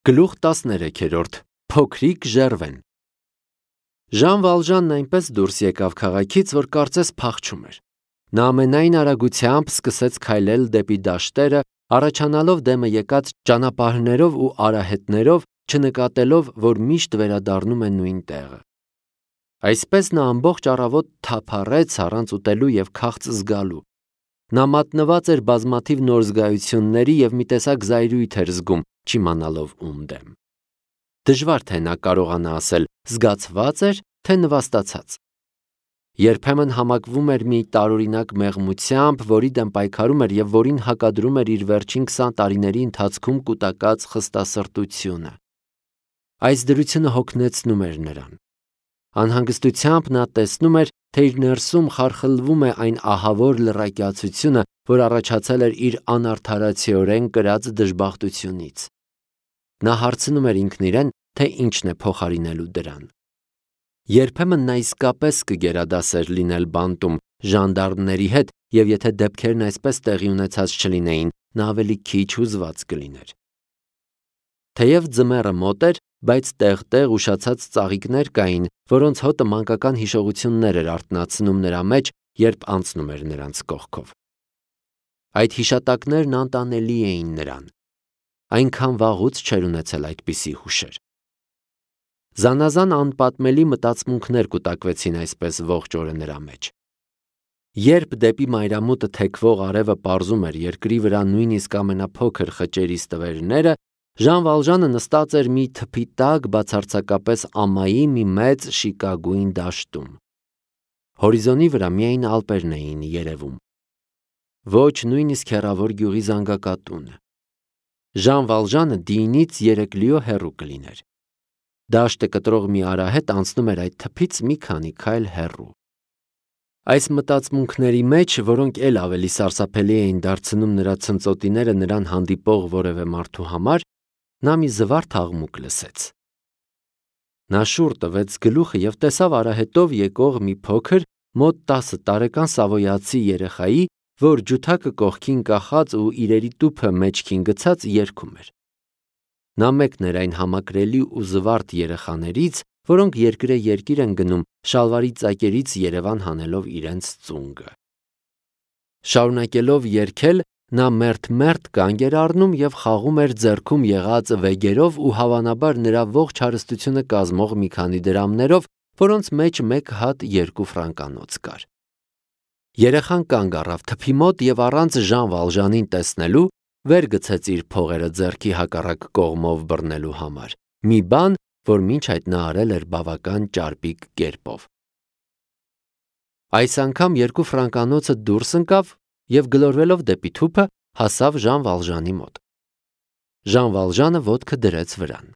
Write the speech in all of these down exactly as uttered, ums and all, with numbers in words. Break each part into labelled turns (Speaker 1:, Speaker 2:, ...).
Speaker 1: Գլուխ տասներեքերորդ Փոքրիկ ժերվեն Ժան Վալժանն այնպես դուրս եկավ քաղաքից, որ կարծես փախչում էր։ Նա ամենայն արագությամբ սկսեց քայլել դեպի դաշտերը, առաջանալով դեմը եկած ճանապարհներով ու արահետներով, չնկատելով, որ միշտ վերադառնում է նույն տեղը։ Այսպես նա ամբողջ առավոտ թափառեց առանց ուտելու և քաղց զգալու։ Նա մատնված էր բազմաթիվ նոր զգայությունների և մի տեսակ զայրույթ էր զգում, չիմանալով ում դեմ։ Դժվար թե նա կարողանա ասել զգացվա՞ծ էր, թե նվաստացած։ Երբեմն համակվում էր մի տարօրինակ մեղմությամբ, որի դեմ պայքարում էր և որին հակադրում էր իր վերջին քսան տարիների ընթացքում կուտակած խստասրտությունը։ Այս դրությունը հոգնեցնում էր նրան։ Անհանգստությամբ նա տեսնում էր, թե իր ներսում խարխլվում է այն ահավոր լռակյացությունը, որ առաջացել էր իր անարդարացիորեն կրած դժբախտությունից։ Նա հարցնում էր ինքն իրեն, թե ինչն է փոխարինելու դրան։ Երբեմն նա իսկապես կգերադասեր լինել բանտում ժանդարմների հետ, և եթե դեպքերն այսպես տեղի ունեցած չլինեին, նա ավելի քիչ հուզված կլիներ։ Թեև ձմեռը մոտ էր, բայց տեղ-տեղ ուշացած ծաղիկներ կային, որոնց հոտը մանկական հիշողություններ էր արթնացնում նրա մեջ, երբ անցնում էր նրանց կողքով։ Այդ հիշատակներն անտանելի էին նրան։ Այնքան վաղուց չէր ունեցել այդպիսի հուշեր։ Զանազան անպատմելի մտածմունքներ կուտակվեցին այսպես ողջ օրը նրա մեջ։ Երբ դեպի մայրամուտը թեքվող արևը պարզում էր երկրի վրա նույնիսկ ամենափոքր խճերի ստվերները, Ժան Վալժանը նստած էր մի թփի տակ բացարձակապես ամայի մի մեծ շիկագույն դաշտում։ Հորիզոնի վրա միայն ալպերն էին երևում։ Ոչ նույնիսկ հեռավոր գյուղի զանգակատունը։ Ժան Վալժանը դիինից երեք լիո հեռու կլիներ։ Դաշտը կտրող մի արահետ անցնում էր այդ թփից մի քանի քայլ հեռու։ Այս մտածմունքների մեջ, որոնք էլ ավելի սարսափելի էին դարձնում նրա ցնծոտիները նրան հանդիպող որևէ մարդու համար, նա մի զվարթ աղմուկ լսեց։ Նա շուռ տվեց գլուխը և տեսավ արահետով եկող մի փոքր, մոտ տասը տարեկան սավոյացի երեխայի, որ ջութակը կողքին կախած ու իրերի տուփը մեջքին գցած երգում էր։ Նա մեկն էր այն համակրելի ու զվարթ երեխաներից, որոնք երկրե-երկիր են գնում շալվարի ծակերից Երևան հանելով իրենց ծունգը։ Շարունակելով երգել, նա մերթ-մերթ կանգ էր առնում և խաղում էր ձեռքում եղած վեգերով ու հավանաբար նրա ողջ հարստությունը կազմող մի քանի դրամներով, որոնց մեջ մեկ հատ երկու ֆրանկանոց կար։ Երեխան կանգ առավ թփի մոտ և առանց Ժան Վալժանին տեսնելու վեր գցեց իր փողերը ձեռքի հակառակ կողմով բռնելու համար, մի բան, որ մինչ այդ նա արել էր բավական ճարպիկ կերպով։ Այս անգամ երկու ֆրանկանոցը դուրս ընկավ և գլորվելով դեպի թուփը հասավ Ժան Վալժանի մոտ։ Ժան Վալժանը ոտքը դրեց վրան։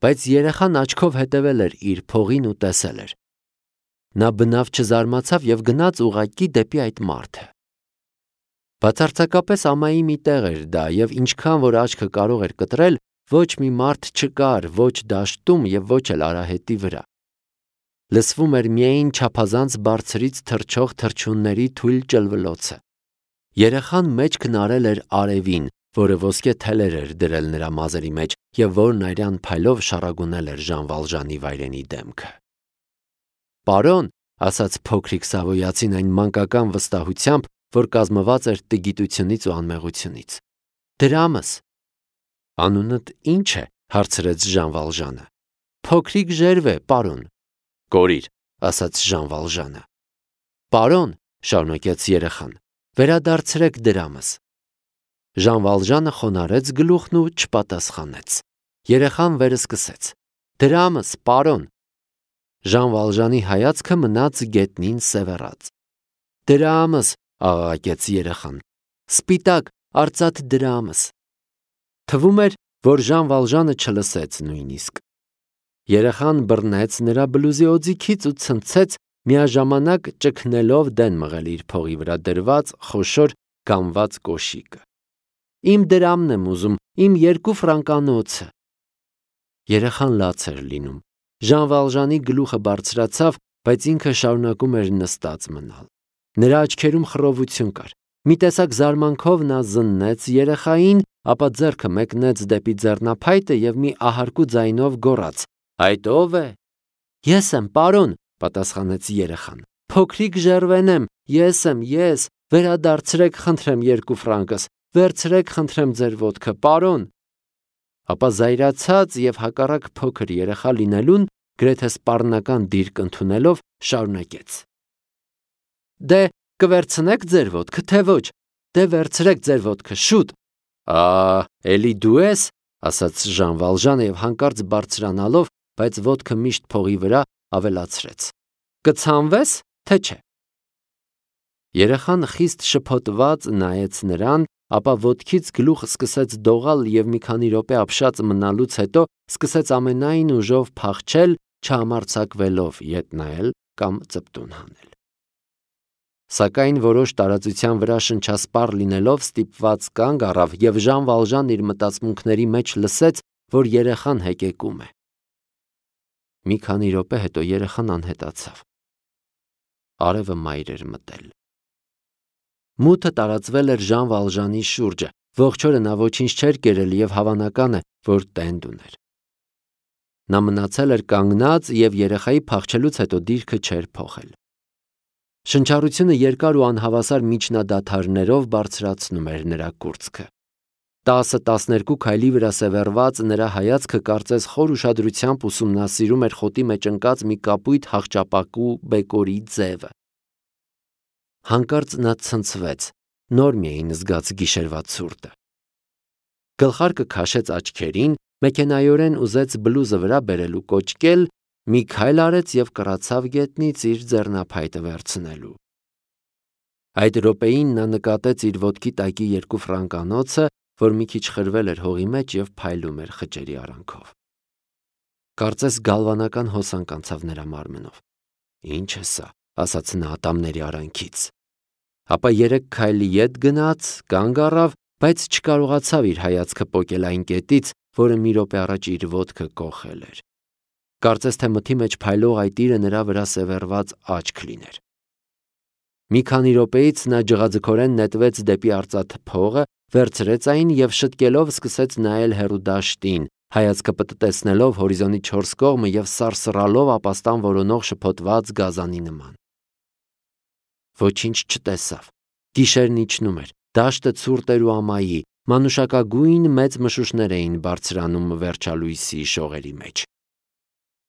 Speaker 1: Բայց երեխան աչքով հետևել էր իր փողին ու տեսել էր։ Նա բնավ չզարմացավ և գնաց ուղղակի դեպի այդ մարդը։ Բացարձակապես ամայի մի տեղ էր դա, և ինչքան որ աչքը կարող էր կտրել, ոչ մի մարդ չկար ոչ դաշտում և ոչ էլ արահետի վրա։ Լսվում էր միայն չափազանց բարձրից թռչող թռչունների թույլ ճլվլոցը։ Երեխան մեջքն արել էր արևին, որը ոսկե թելեր էր դրել նրա մազերի մեջ և որն արյան փայլով շառագունել էր Ժան Վալժանի վայրենի դեմքը։ «Պարոն», ասաց փոքրիկ սավոյացին այն մանկական վստահությամբ, որ կազմված էր տգիտությունից ու անմեղությունից։ «Դրամս»։ «Անունդ ի՞նչ է», հարցրեց Ժան Վալժանը։ «Փոքրիկ ժերվ է, պարոն»։ «Կորիր», ասաց Ժան Վալժանը։ «Պարոն», շարունակեց երեխան, «վերադարձրեք դրամս»։ Ժան Վալժանը խոնարհեց գլուխն ու չպատասխանեց։ Երեխան վերսկսեց. «Դրամս, պարոն»։ Ժան Վալժանի հայացքը մնաց գետնին սևեռած։ «Դրամս», աղաղակեց երեխան, «սպիտակ, արծաթ դրամս»։ Թվում էր, որ Ժան Վալժանը չլսեց նույնիսկ։ Երեխան բռնեց նրա բլուզի օձիքից ու ցնցեց, միաժամանակ ճգնելով դեն մղել իր փողի վրա դրված խոշոր գամված կոշիկը։ «Իմ դրամն եմ ուզում, իմ երկու ֆրանկանոցը»։ Երեխան լաց էր լինում։ Ժան Վալժանի գլուխը բարձրացավ, բայց ինքը շարունակում էր նստած մնալ։ Նրա աչքերում խռովություն կար։ Մի տեսակ զարմանքով նա զննեց երեխային, ապա ձեռքը մեկնեց դեպի ձեռնափայտը և մի ահարկու ձայնով գոռաց. «Այդ ո՞վ է»։ «Ես եմ, պարոն», պատասխանեց երեխան։ «Փոքրիկ Ժերվեն եմ, ես եմ, ես, վերադարձրեք խնդրեմ երկու ֆրանկս, վերցրեք խնդրեմ ձեր ոտքը, պարոն»։ Ապա զայրացած և հակառակ փոքր երեխա լինելուն գրեթե սպառնական դիրք ընդունելով շարունակեց. «Դե կվերցնեք ձեր ոտքը, թե ոչ, դե վերցրեք ձեր ոտքը, շուտ»։ «Ա, էլի դու ես», ասաց Ժան Վալժանը և հանկարծ բարձրանալով, բայց ոտքը միշտ փողի վրա, ավելացրեց. «Կցանվե՞ս, թե չէ»։ Երեխան խիստ շփոթված նայեց նրան, ապա ոտքից գլուխ սկսեց դողալ և մի քանի րոպե ապշած մնալուց հետո սկսեց ամենայն ուժով փախչել, չհամարձակվելով ետ նայել կամ ծպտուն հանել։ Սակայն որոշ տարածության վրա շնչասպառ լինելով ստիպված կանգ առավ և Ժան Վալժանն իր մտածմունքների մեջ լսեց, որ երեխան հեկեկում է։ Մի քանի րոպե հետո երեխան անհետացավ։ Արևը մայր էր մտել։ Մութը տարածվել էր Ժան Վալժանի շուրջը, ողջ օրը նա ոչինչ չէր կերել և հավանական է, որ տենդ ուներ։ Նա մնացել էր կանգնած և երեխայի փախչելուց հետո դիրքը չէր փոխել։ Շնչառությունը երկար ու անհավասար միջնադադարներով բարձրացնում էր նրա կուրծքը։ տասը-տասներկու քայլի վրա սևեռված նրա հայացքը կարծես խոր ուշադրությամբ ուսումնասիրում էր խոտի մեջ ընկած մի կապույտ հախճապակու բեկորի ձևը։ Հանկարծ նա ցնցվեց, նոր մի էին զգաց գիշերվա ցուրտը։ Գլխարկը քաշեց աչքերին, մեքենայորեն ուզեց բլուզը վրա բերել ու կոճկել, մի քայլ արեց և կռացավ գետնից իր ձեռնափայտը վերցնելու։ Այդ րոպեին նա նկատեց իր ոտքի տակի երկու ֆրանկանոցը, որ մի քիչ խրվել էր հողի մեջ և փայլում էր խճերի արանքով։ Կարծես գալվանական հոսանք անցավ նրա մարմնով։ «Ինչ է սա», ասաց նա ատամների արանքից։ Ապա երեք քայլի ետ գնաց, կանգ առավ, բայց չկարողացավ իր հայացքը պոկել այն կետից, որը մի րոպե առաջ իր ոտքը կոխել էր։ Կարծես թե մթի մեջ փայլող այդ իրը նրա վրա սևեռված աչք լիներ։ Մի քանի րոպեից նա ջղաձգորեն նետվեց դեպի արծաթե փողը, վերցրեց այն և շտկելով սկսեց նայել հեռու դաշտին, հայացքը պտտեցնելով հորիզոնի չորս կողմը և սարսռալով ապաստան որոնող շփոթված գազանի նման։ Ոչինչ չտեսավ։ Գիշերն իջնում էր, դաշտը ցուրտ էր ու ամայի, մանուշակագույն մեծ մշուշներ էին բարձրանում վերջալույսի շողերի մեջ։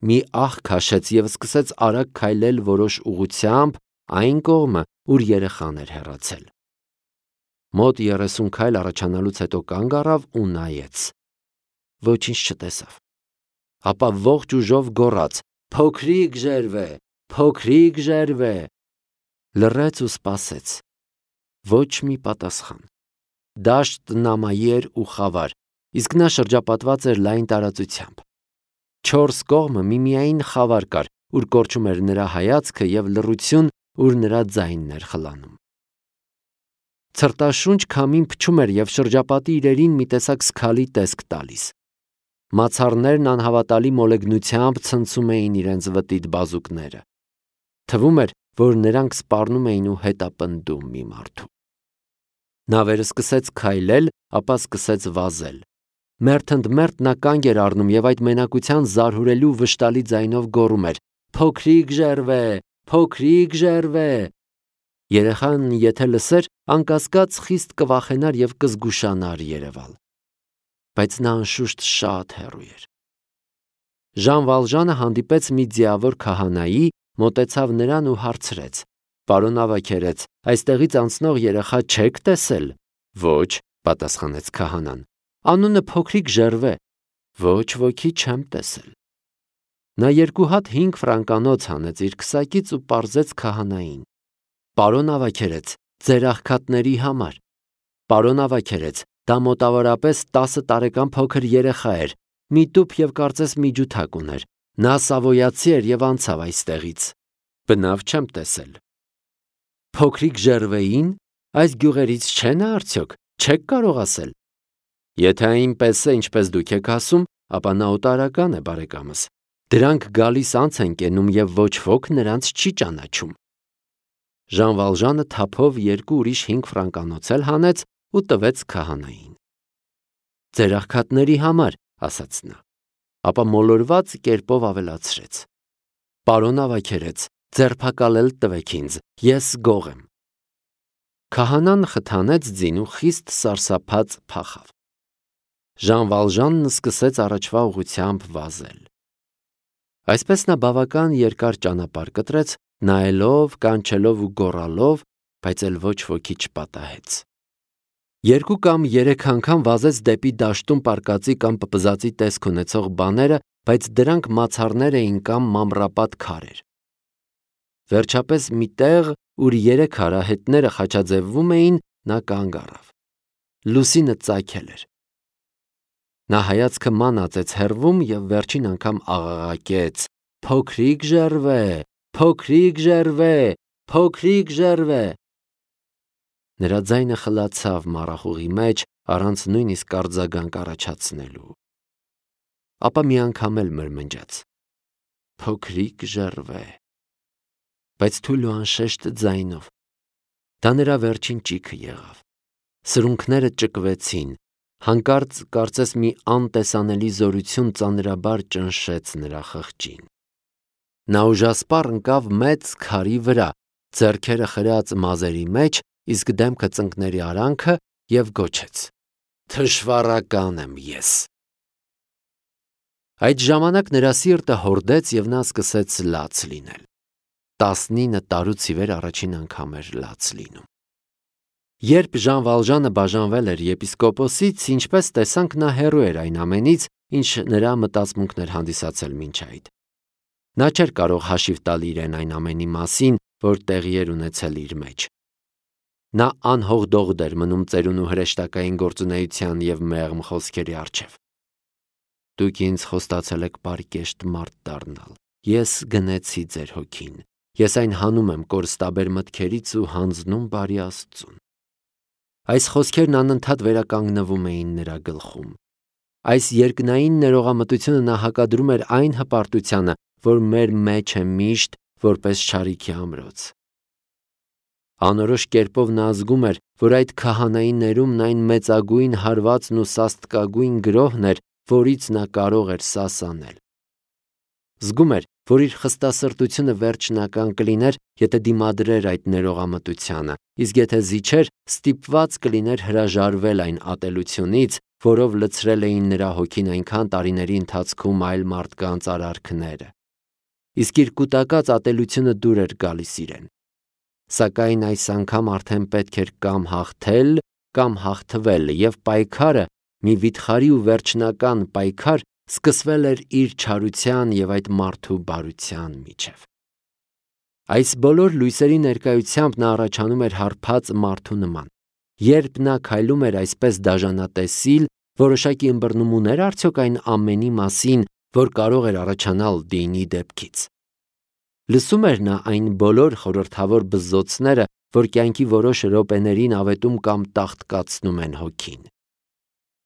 Speaker 1: Մի ահ քաշեց և սկսեց արագ քայլել որոշ ուղղությամբ այն կողմը, ուր երեխան էր հեռացել։ Մոտ երեսուն քայլ առաջանալուց հետո կանգ առավ ու նայեց։ Ոչինչ չտեսավ։ Ապա ողջ ուժով գոռաց. «Փոքրիկ Ժերվե, փոքրիկ Ժերվե»։ Լռեց ու սպասեց։ Ոչ մի պատասխան։ Դաշտն ամայի էր ու խավար, իսկ նա շրջապատված էր լայն տարածությամբ։ Չորս կողմը միմիային խավար կար, ուր կորչում էր նրա հայացքը, և լռություն, ուր նրա ձայնն էր խլանում։ Ցրտաշունչ քամին փչում էր և շրջապատի իրերին մի տեսակ սգալի տեսք տալիս։ Մացառներն անհավատալի մոլեգնությամբ ցնցում էին իրենց վտիտ բազուկները։ Թվում էր, որ նրանք սպառնում էին ու հետապնդում մի մարդու։ Նա վերսկսեց քայլել, ապա սկսեց վազել։ Մերթ ընդ մերթ նա կանգ էր առնում և այդ մենակության զարհուրելի ու վշտալի ձայնով գոռում էր. «Փոքրիկ Ժերվե, փոքրիկ Ժերվե»։ Երեխան եթե լսեր, անկասկած խիստ կվախենար և կզգուշանար երևալ։ Բայց նա անշուշտ շատ հեռու էր։ Ժան Վալժանը հանդիպեց մի ձիավոր քահանայի, մոտեցավ նրան ու հարցրեց. «Պարոն ավագերեց, այստեղից անցնող երեխա չե՞ք տեսել»։ «Ոչ», պատասխանեց քահանան։ «Անունը Փոքրիկ Ժերվե»։ «Ոչ ոքի չեմ տեսել»։ Նա երկու հատ հինգ ֆրանկանոց հանեց իր քսակից ու պարզեց քահանային. «Պարոն ավագերեց, ձեր աղքատների համար»։ «Պարոն ավագերեց, դա մոտավորապես տասը տարեկան փոքր երեխա էր, միտուփ և կարծես միջութակ ուներ։ Նա սավոյացի էր և անցավ այստեղից»։ «Բնավ չեմ տեսել»։ «Փոքրիկ Ժերվեին, այս գյուղերից չէ՞ նա արդյոք, չեք կարող ասել»։ «Եթե այնպես է, ինչպես դուք եք ասում, ապա նա օտարական է, բարեկամս։ Դրանք գալիս անց են կենում և ոչ ոք նրանց չի ճանաչում»։ Ժան Վալժանը թափով երկու ուրիշ հինգ ֆրանկանոց էլ հանեց ու տվեց քահանային։ Ձեր աղքատների համար, ասաց նա, ապա մոլորված կերպով ավելացրեց. Պարոն ավագերեց, ձերբակալել տվեք ինձ, ես գող եմ։ Քահանան խթանեց ձին ու խիստ սարսափած փախավ։ Ժան Վալժանն սկսեց առաջվա ուղղությամբ վազել։ Այսպես նա բավական երկար ճանապարհ կտրեց, նայելով, կանչելով ու գոռալով, բայց էլ ոչ ոքի չպատահեց։ Երկու կամ երեք անգամ վազեց դեպի դաշտում պարկածի կամ պպզածի տեսք ունեցող բաները, բայց դրանք մացառներ էին կամ մամռապատ քարեր։ Վերջապես մի տեղ, ուր երեք հարահետները խաչաձևվում էին, նա կանգ առավ։ Լուսինը ծագել էր։ Նա հայացքը ման ածեց հեռվում և վերջին անգամ աղաղակեց. «Փոքրիկ Ժերվե, փոքրիկ Ժերվե, փոքրիկ Ժերվե»։ Նրա ձայնը խլացավ մառախուղի մեջ, առանց նույնիսկ արձագանք առաջացնելու։ Ապա մի անգամ էլ մրմնջաց. «Փոքրիկ Ժերվե», բայց թույլ ու անշեշտ ձայնով։ Դա նրա վերջին ճիգը եղավ։ Սրունքները ճկվեցին, հանկարծ կարծես մի անտեսանելի զորություն ծանրաբար ճնշեց նրա խղճին։ Նա ուժասպառ ընկավ մեծ քարի վրա, ձեռքերը խրած մազերի մեջ, իսկ դեմքը ծնկների արանքը և գոչեց. «Թշվառական եմ ես»։ Այդ ժամանակ նրա սիրտը հորդեց և նա սկսեց լաց լինել։ Տասնինը տարուց ի վեր առաջին անգամ էր լաց լինում։ Երբ Ժան Վալժանը բաժանվել էր եպիսկոպոսից, ինչպես տեսանք, նա հեռու էր այն ամենից, ինչ նրա մտածմունքն էր հանդիսացել մինչ այդ։ Նա չէր կարող հաշիվ տալ իրեն այն ամենի մասին, որ տեղի էր ունեցել իր մեջ։ Նա անհողդողդ էր մնում ծերունու հրեշտակային գործունեության և մեղմ խոսքերի առջև։ Դուք ինձ խոստացել եք պարկեշտ մարդ դառնալ, ես գնեցի ձեր հոգին, ես այն հանում եմ կորստաբեր մտքերից ու հանձնում բարի Աստծուն։ Այս խոսքերն անընդհատ վերականգնվում էին նրա գլխում։ Այս երկնային ներողամտությունը նա հակադրում էր այն հպարտությանը, որ մեր մեջ է միշտ որպես չարիքի ամրոց։ Անորոշ կերպով նա զգում էր, որ այդ քահանայի ներումն այն մեծագույն հարվածն ու սաստկագույն գրոհն էր, որից նա կարող էր սասանել։ Զգում էր, որ իր խստասրտությունը վերջնական կլիներ, եթե դիմադրեր այդ ներողամտությանը, իսկ եթե զիջեր, ստիպված կլիներ հրաժարվել այն ատելությունից, որով լցրել էին նրա հոգին այնքան տարիների ընթացքում այլ մարդկանց արարքները։ Իսկ իր կուտակած ատելությունը դուր էր գալիս իրեն։ Սակայն այս անգամ արդեն պետք էր կամ հաղթել, կամ հաղթվել, և պայքարը, մի վիթխարի ու վերջնական պայքար, սկսվել էր իր չարության և այդ մարդու բարության միջև։ Այս բոլոր լույսերի ներկայությամբ նա առաջանում էր հարբած մարդու նման։ Երբ նա քայլում էր այսպես դաժանատեսիլ, որոշակի ըմբռնում ուներ արդյոք այն ամենի մասին, որ կարող էր առաջանալ Դինի դեպքից։ Լսում էր նա այն բոլոր խորհրդավոր բզզոցները, որ կյանքի որոշ րոպեներին ավետում կամ տաղտկացնում են հոգին։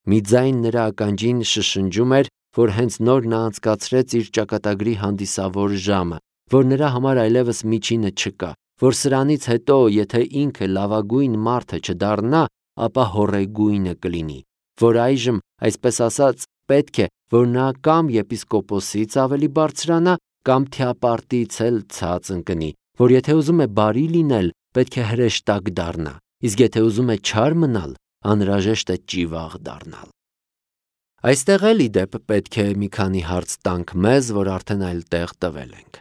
Speaker 1: Մի ձայն նրա ականջին շշնջում էր, որ հենց նոր նա անցկացրեց իր ճակատագրի հանդիսավոր ժամը, որ նրա համար այլևս միջինը չկա, որ սրանից հետո, եթե ինքը լավագույն մարդը չդառնա, ապա հոռեգույնը կլինի, որ այժմ, այսպես ասած, պետք է, որ նա կամ եպիսկոպոսից ավելի բարձրանա, կամ թիապարտից էլ ցած ընկնի, որ եթե ուզում է բարի լինել, պետք է հրեշտակ դառնա, իսկ եթե ուզում է չար մնալ, անհրաժեշտ է ճիվաղ դառնալ։ Այստեղ էլ ի դեպ պետք է մի քանի հարց տանք մեզ, որ արդեն այլ տեղ տվել ենք։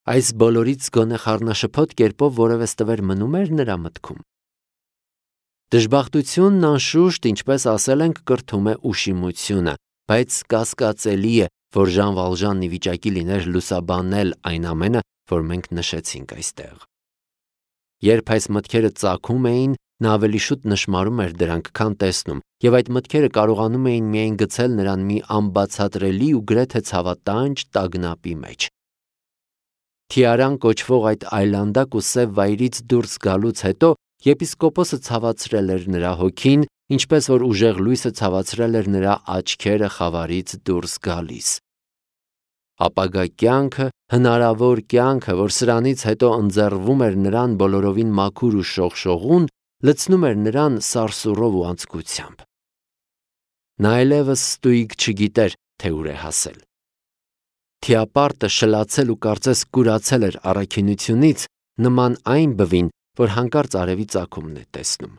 Speaker 1: Այս բոլորից գոնե խառնաշփոթ կերպով որևէ ստվեր մնում էր նրա մտքում։ Դժբախտությունն անշուշտ, ինչպես ասել ենք, կրթում է ուշիմությունը, բայց կասկածելի է, որ Ժան Վալժանն ի վիճակի լիներ լուսաբանել այն ամենը, որ մենք նշեցինք այստեղ։ Երբ այս մտքերը ծագում էին, նա ավելի շուտ նշմարում էր դրանք, քան տեսնում, և այդ մտքերը կարողանում էին միայն գցել նրան մի անբացատրելի ու գրեթե ցավատանջ տագնապի մեջ։ Թիարան կոչվող այդ այլանդակ ու սև վայրից դուրս գալուց հետո եպիսկոպոսը ցավացրել էր նրա հոգին, ինչպես որ ուժեղ լույսը ցավացրել էր նրա աչքերը խավարից դուրս գալիս։ Ապագա կյանքը, հնարավոր կյանքը, որ սրանից հետո ընձեռվում էր նրան բոլորովին մաքուր ու շողշողուն, լցնում էր նրան սարսուռով ու անձկությամբ։ Նա այլևս ստույգ չգիտեր, թե ուր է հասել։ Թիապարտը շլացել ու կարծես կուրացել էր առաքինությունից, նման այն բվին, որ հանկարծ արևի ծագումն է տեսնում։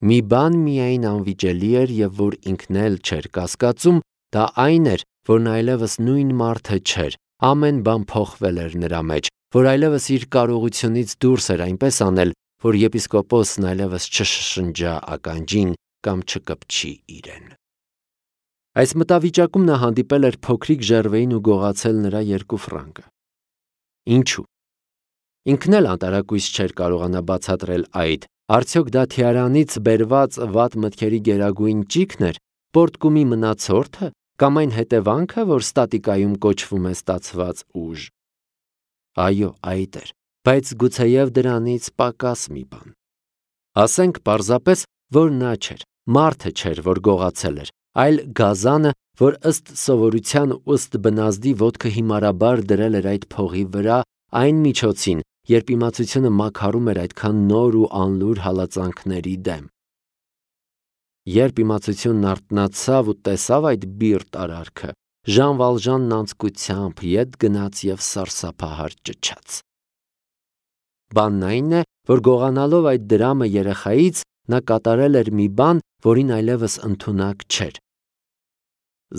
Speaker 1: Մի բան միայն անվիճելի էր և որ ինքն էլ չէր կասկածում, դա այն էր, որ նա այլևս նույն մարդը չէր, ամեն բան փոխվել էր նրա մեջ, որ այլևս իր կարողությունից դուրս էր այնպես անել, որ եպիսկոպոսն այլևս չշշնջա ականջին կամ չկպչի իրեն։ Այս մտավիճակում նա հանդիպել էր փոքրիկ Ժերվեին ու գողացել նրա երկու ֆրանկը։ Ինչու՞։ Ինքն էլ անտարակույս չէր կարողանա բացատրել այդ, արդյոք դա թիարանից բերված վատ մտքերի գերագույն ճիգն էր, պորտկումի մնացորդը, կամ այն հետևանքը, որ ստատիկայում կոչվում է ստացված ուժ։ Այո, այդ էր, բայց գուցեև դրանից պակաս մի բան։ Ասենք պարզապես, որ նա չէր, մարդը չէր, որ գողացել էր, այլ գազանը, որ ըստ սովորության ու ըստ բնազդի ոտքը հիմարաբար դրել էր այդ փողի վրա, այն միջոցին, երբ իմացությունը մաքարում էր այդքան նոր ու անլուր հալածանքների դեմ։ Երբ իմացությունն արթնացավ ու տեսավ այդ բիրտ արարքը, Ժան Վալժանն անձկությամբ ետ գնաց և սարսափահար ճչաց։ Բանն այն է, որ գողանալով այդ դրամը երեխայից, նա կատարել էր մի բան, որին այլևս ընդունակ չէր։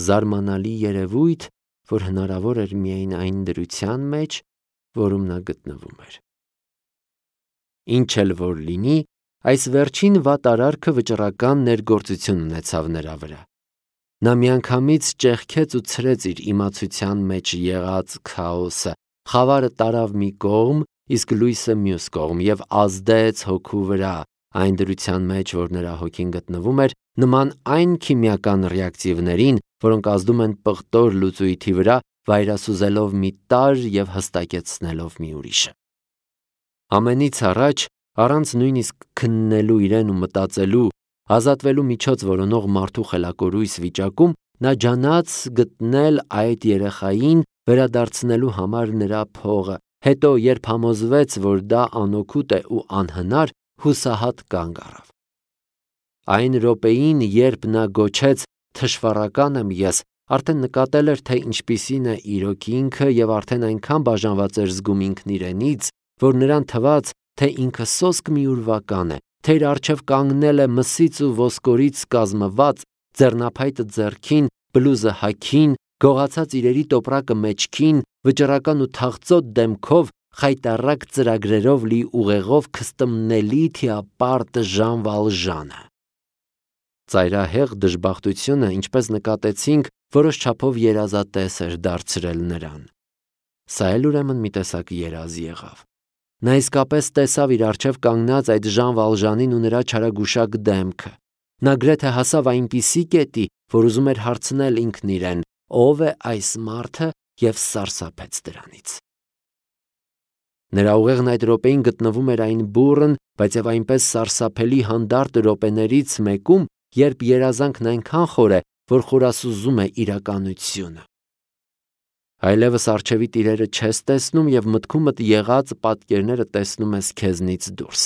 Speaker 1: Զարմանալի երևույթ, որ հնարավոր էր միայն այն դրության մեջ, որում նա գտնվում էր։ Ինչ էլ որ լինի, այս վերջին վատ արարքը վճռական ներգործություն ունեցավ նրա վրա։ Նա միանգամից ճեղքեց ու ցրեց իր իմացության մեջ եղած քաոսը, խավարը տարավ մի կողմ, իսկ լույսը մյուս կողմ և ազդեց հոգու վրա, այն դրության մեջ, որ նրա հոգին գտնվում էր, նման այն քիմիական ռեակցիվներին, որոնք ազդում են պղտոր լուծույթի վրա, վայրասուզելով մի տարր և հստակեցնելով մի ուրիշը։ Ամենից առաջ, առանց նույնիսկ քննելու իրեն ու մտածելու, ազատվելու միջոց որոնող մարդու խելակորույս վիճակում, նա ջանաց գտնել այդ երեխային, վերադարձնելու համար նրա փողը, հետո երբ համոզվեց, որ դա անօգուտ է ու անհնար, հուսահատ կանգ առավ։ Այն րոպեին, երբ նա գոչեց «թշվառական եմ ես», արդեն նկատել էր, թե ինչպիսին է իրոք ինքը և արդեն այնքան բաժանված էր զգում ինքն իրենից, որ նրան թվաց, թե ինքը սոսկ մի ուրվական է, թե իր առջև կանգնել է մսից ու ոսկորից կազմված, ձեռնափայտը ձեռքին, բլուզը հագին, գողացած իրերի տոպրակը մեջքին, վճռական ու թախծոտ դեմքով, խայտառակ ծրագրերով լի ուղեղով քստմնելի թիապարտ Ժան Վալժանը։ Ծայրահեղ դժբախտությունը, ինչպես նկատեցինք, որոշ չափով երազատես էր դարձրել նրան։ Սա էլ ուրեմն մի տեսակ երազ եղավ։ Նա իսկապես տեսավ իր առջև կանգնած այդ Ժան Վալժանին ու նրա չարագուշակ դեմքը։ Նա գրեթե հասավ այնպիսի կետի, որ ուզում էր հարցնել ինքն իրեն. ով է այս մարդը, և սարսափեց դրանից։ Նրա ուղեղն այդ րոպեին գտնվում էր այն բուռն, բայց և այնպես սարսափելի հանդարտ րոպեներից մեկում, երբ երազանքն այնքան խոր է, որ խորասուզում է իրականությունը։ Այլևս առջևիդ իրերը չես տեսնում և մտքումդ եղած պատկերները տեսնում ես քեզնից դուրս։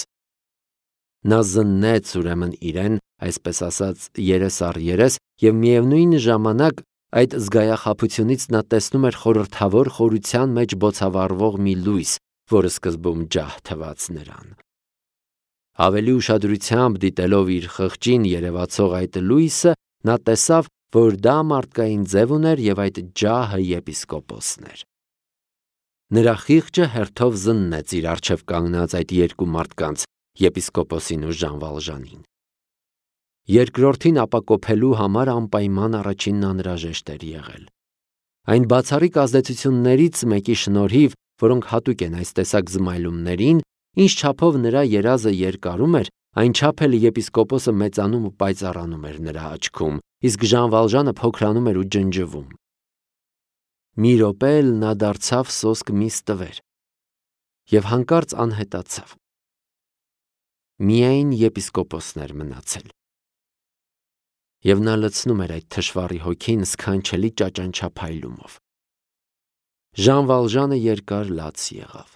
Speaker 1: Նա զննեց ուրեմն իրեն, այսպես ասած, երես առ երես, և միևնույն ժամանակ այդ զգայախաբությունից նա տեսնում էր խորհրդավոր խորության մեջ բոցավառվող մի լույս, որը սկզբում ջահ թվաց նրան։ Ավելի ուշադրությամբ դիտելով իր խղճին երևացող այդ լույսը, նա տեսավ, որ դա մարդկային ձև ուներ և այդ ջահը եպիսկոպոսն էր։ Նրա խիղճը հերթով զննեց իր առջև կանգնած այդ երկու մարդկանց, եպիսկոպոսին ու Ժան Վալժանին։ Երկրորդին ապակոփելու համար անպայման առաջինն անհրաժեշտ էր եղել։ Այն բացառիկ ազդեցություններից մեկի շնորհիվ, որոնք հատուկ են այս տեսակ զմայլումներին, ինչ չափով նրա երազը երկարում էր, այնչափ էլ եպիսկոպոսը մեծանում ու պայծառանում էր նրա աչքում, իսկ Ժան Վալժանը փոքրանում էր ու ջնջվում։ Մի րոպե էլ նա դարձավ սոսկ մի ստվեր և հանկարծ անհետացավ։ Միայն եպիսկոպոսն էր մնացել։ Եվ նա լցնում էր այդ թշվառի հոգին սքանչելի ճաճանչափայլումով։ Ժան Վալժանը երկար լաց եղավ։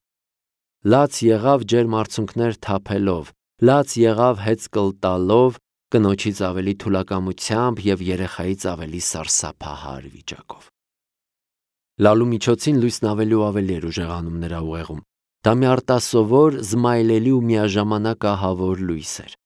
Speaker 1: Լաց եղավ ջերմ արցունքներ թափելով, լաց եղավ հեծկլ տալով, կնոջից ավելի թուլակամությամբ և երեխայից ավելի սարսափահար վիճակով։ Լալու միջոցին լույսն ավելի ու ավելի էր ուժեղանում նրա ուղեղում։ Դա մի արտասովոր, զմայլելի ու միաժամանակ ահավոր լույս էր։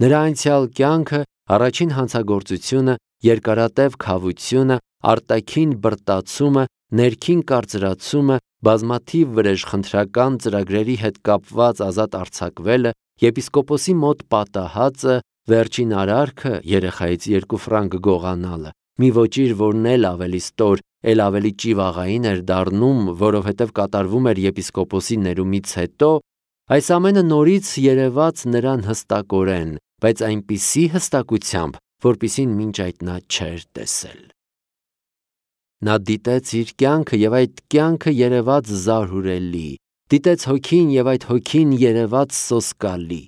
Speaker 1: Նրա անցյալ կյանքը, առաջին հանցագործությունը, երկարատև քավությունը, արտաքին բրտացումը, ներքին կարծրացումը, բազմաթիվ վրեժխնդրական ծրագրերի հետ կապված ազատ արձակվելը, եպիսկոպոսի մոտ պատահածը, վերջին արարքը, երեխայից երկու ֆրանկ գողանալը, մի ոճիր, որն էլ ավելի ստոր, էլ ավելի ճիվաղային էր դառնում, որովհետև կատարվում էր եպիսկոպոսի ներումից հետո, այս ամենը նորից երևաց նրան հստակորեն, բայց այնպիսի հստակությամբ, որպիսին մինչ այդ նա չէր տեսել։ Նա դիտեց իր կյանքը և այդ կյանքը երևաց զարհուրելի, դիտեց հոգին և այդ հոգին երևաց սոսկալի։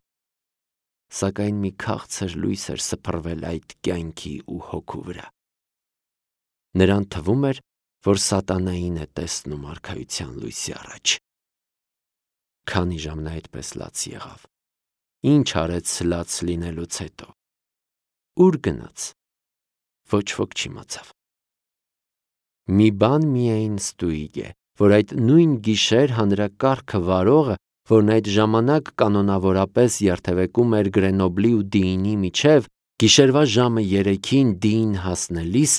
Speaker 1: Սակայն մի քաղցր լույս էր սփռվել այդ կյանքի ու հոգու վրա։ Նրան թվում էր, որ սատանային է տեսնում արքայության լույսի առաջ։ Քանի ժամ նա այդպես լաց եղավ։ Ինչ արեց լաց լինելուց հետո։ Ուր գնաց։ Ոչ ոք չիմացավ։ Մի բան միայն ստույգ է, որ այդ նույն գիշեր հանրակարգը վարողը, որն այդ ժամանակ կանոնավորապես երթևեկում էր Գրենոբլի ու Դիինի միջև, գիշերվա ժամը երեքին Դիին հասնելիս,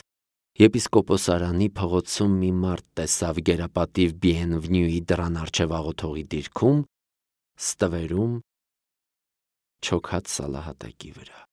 Speaker 1: եպիսկոպոսարանի փողոցում մի մարդ տեսավ գերապատիվ Բիենվնյուի դռան առջև աղոթողի դիրքում, ստվերում, չոքած սալահատակի վրա։